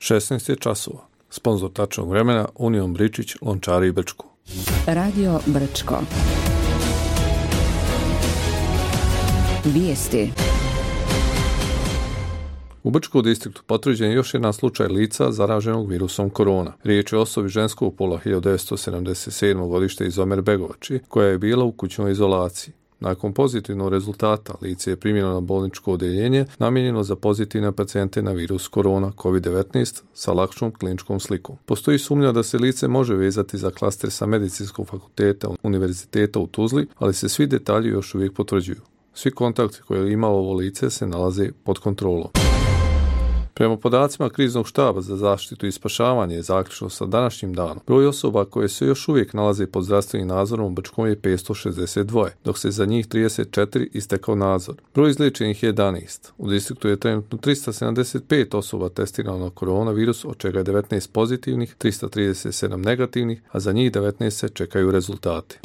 16 je časova. Sponzor tačnog vremena Union Bričić, Lončari i Brčko. Radio Brčko. Vijesti. U Brčkom distriktu potvrđen je još jedan slučaj lica zaraženog virusom korona. Riječ je o osobi ženskog pola 1977. godište iz Omerbegovači, koja je bila u kućnoj izolaciji. Nakon pozitivnog rezultata, lice je primljeno na bolničko odjeljenje namijenjeno za pozitivne pacijente na virus korona COVID-19 sa lakšom kliničkom slikom. Postoji sumnja da se lice može vezati za klaster sa Medicinskog fakulteta Univerziteta u Tuzli, ali se svi detalji još uvijek potvrđuju. Svi kontakti koje je imalo ovo lice se nalaze pod kontrolom. Prema podacima kriznog štaba za zaštitu i spašavanje zaključno sa današnjim danom, broj osoba koje se još uvijek nalaze pod zdravstvenim nadzorom u Brčkom je 562, dok se za njih 34 istekao nadzor. Broj izliječenih je 11. U distriktu je trenutno 375 osoba testirano na koronavirus, od čega je 19 pozitivnih, 337 negativnih, a za njih 19 se čekaju rezultati.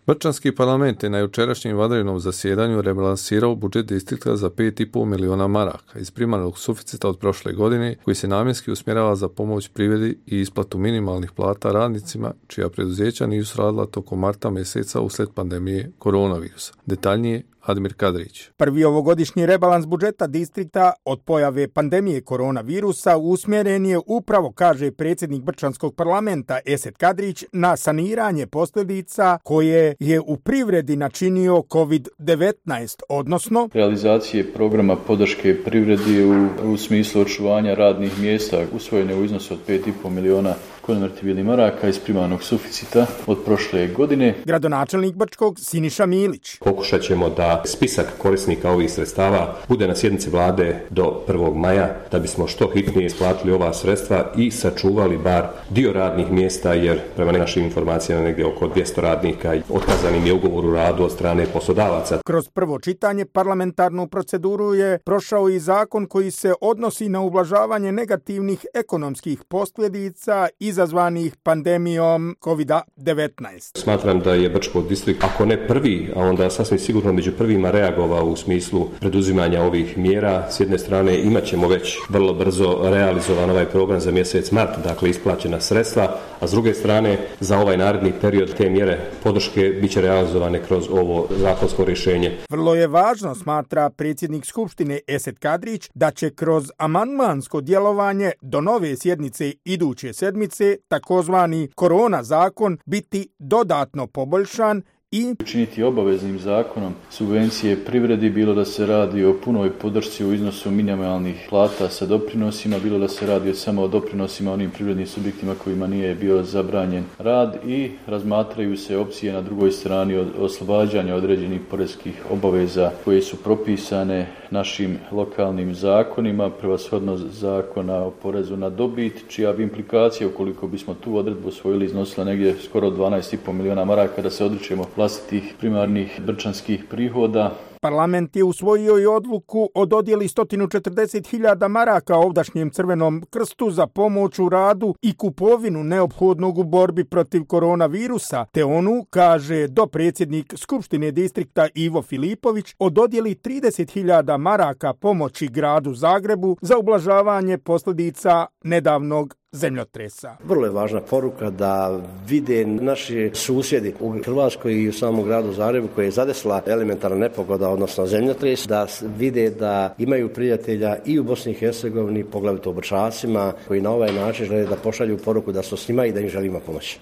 Brčanski parlament je na jučerašnjem vanrednom zasjedanju rebalansirao budžet distrikta za 5,5 miliona maraka iz primarnog suficita od prošle godine, koji se namjenski usmjerava za pomoć privredi i isplatu minimalnih plata radnicima čija preduzeća nisu radila tokom marta mjeseca uslijed pandemije koronavirusa. Detaljnije Admir Kadrić. Prvi ovogodišnji rebalans budžeta distrikta od pojave pandemije koronavirusa usmjeren je upravo, kaže predsjednik Brčanskog parlamenta Esed Kadrić, na saniranje posljedica koje je u privredi načinio COVID-19, odnosno realizacije programa podrške privredi u smislu očuvanja radnih mjesta usvojene u iznosu od 5,5 miliona konvertibilnih maraka iz primarnog suficita od prošle godine. Gradonačelnik Brčkog Siniša Milić. Pokušat ćemo da spisak korisnika ovih sredstava bude na sjednici vlade do 1. maja, da bismo što hitnije isplatili ova sredstva i sačuvali bar dio radnih mjesta, jer prema našim informacijama negdje oko 200 radnika otkazanim je ugovor o radu od strane poslodavaca. Kroz prvo čitanje parlamentarnu proceduru je prošao i zakon koji se odnosi na ublažavanje negativnih ekonomskih posljedica izazvanih pandemijom COVID-19. Smatram da je Brčko distrikt, ako ne prvi, a onda sasvim sigurno među prvima reagovao u smislu preduzimanja ovih mjera. S jedne strane imat ćemo već vrlo brzo realizovan ovaj program za mjesec mart, dakle isplaćena sredstva, a s druge strane za ovaj naredni period te mjere podrške bit će realizovane kroz ovo zakonsko rješenje. Vrlo je važno, smatra predsjednik Skupštine Esed Kadrić, da će kroz amandmansko djelovanje do nove sjednice iduće sedmice takozvani korona zakon biti dodatno poboljšan i učiniti obaveznim zakonom subvencije privredi, bilo da se radi o punoj podršci u iznosu minimalnih plata sa doprinosima, bilo da se radi samo o doprinosima onim privrednim subjektima kojima nije bio zabranjen rad, i razmatraju se opcije na drugoj strani od oslobađanja određenih poreskih obaveza koje su propisane našim lokalnim zakonima, prevashodno zakona o porezu na dobit, čija bi implikacija, ukoliko bismo tu odredbu usvojili, iznosila negdje skoro 12,5 miliona maraka, da se odričemo vlastitih primarnih brčanskih prihoda. Parlament je usvojio i odluku o dodjeli 140.000 maraka ovdašnjem Crvenom krstu za pomoć u radu i kupovinu neophodnog u borbi protiv koronavirusa, te onu, kaže dopredsjednik Skupštine distrikta Ivo Filipović, o dodjeli 30.000 maraka pomoći gradu Zagrebu za ublažavanje posljedica nedavnog zemljotresa. Vrlo je važna poruka da vide naši susjedi u Hrvatskoj i u samom gradu Zagrebu koji je zadesila elementarna nepogoda, odnosno zemljotres, da vide da imaju prijatelja i u Bosni i Hercegovini, poglavito u Brčacima, koji na ovaj način žele da pošalju poruku da su s njima i da im želimo pomoći.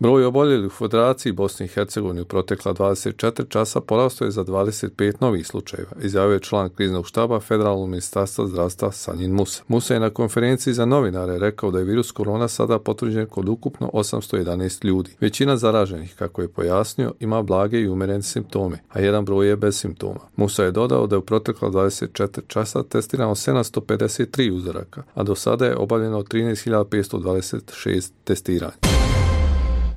Broj oboljelih u Federaciji Bosne i Hercegovine u protekla 24 časa porastao je za 25 novih slučajeva, izjavio je član kriznog štaba Federalnog ministarstva zdravstva Sanjin Musa. Musa je na konferenciji za novinare rekao da je virus korona sada potvrđen kod ukupno 811 ljudi. Većina zaraženih, kako je pojasnio, ima blage i umjerene simptome, a jedan broj je bez simptoma. Musa je dodao da je u protekla 24 časa testirano 753 uzoraka, a do sada je obavljeno 13.526 testiranja.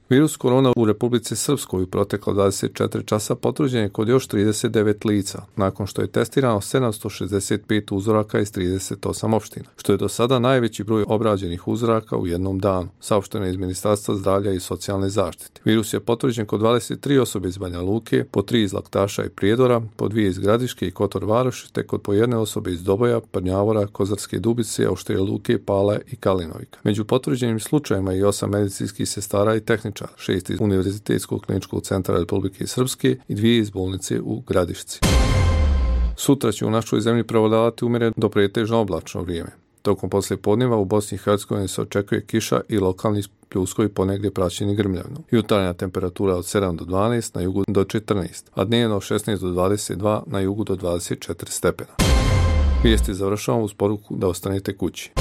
Virus korona u Republici Srpskoj u proteklo 24 časa potvrđen je kod još 39 lica, nakon što je testirano 765 uzoraka iz 38 opština, što je do sada najveći broj obrađenih uzoraka u jednom danu, saopšteno je iz Ministarstva zdravlja i socijalne zaštite. Virus je potvrđen kod 23 osobe iz Banja Luke, po 3 iz Laktaša i Prijedora, po 2 iz Gradiške i Kotor Varoši, te kod po jedne osobe iz Doboja, Prnjavora, Kozarske Dubice, Auštrije Luke, Pale i Kalinovika. Među potvrđenim slučajima i 8 medicinskih sestara i tehničara, 6 iz Univerzitetskog kliničkog centra Republike Srpske i 2 iz bolnice u Gradišci. Sutra će u našoj zemlji prevladavati umjereno do pretežno oblačno vrijeme. Tokom poslijepodneva u Bosni i Hercegovini se očekuje kiša i lokalni pljuskovi ponegdje praćeni grmljavinom. Jutarnja temperatura od 7 do 12, na jugu do 14, a dnevno od 16 do 22, na jugu do 24 stepena. Vijesti završavamo uz poruku da ostanete kući.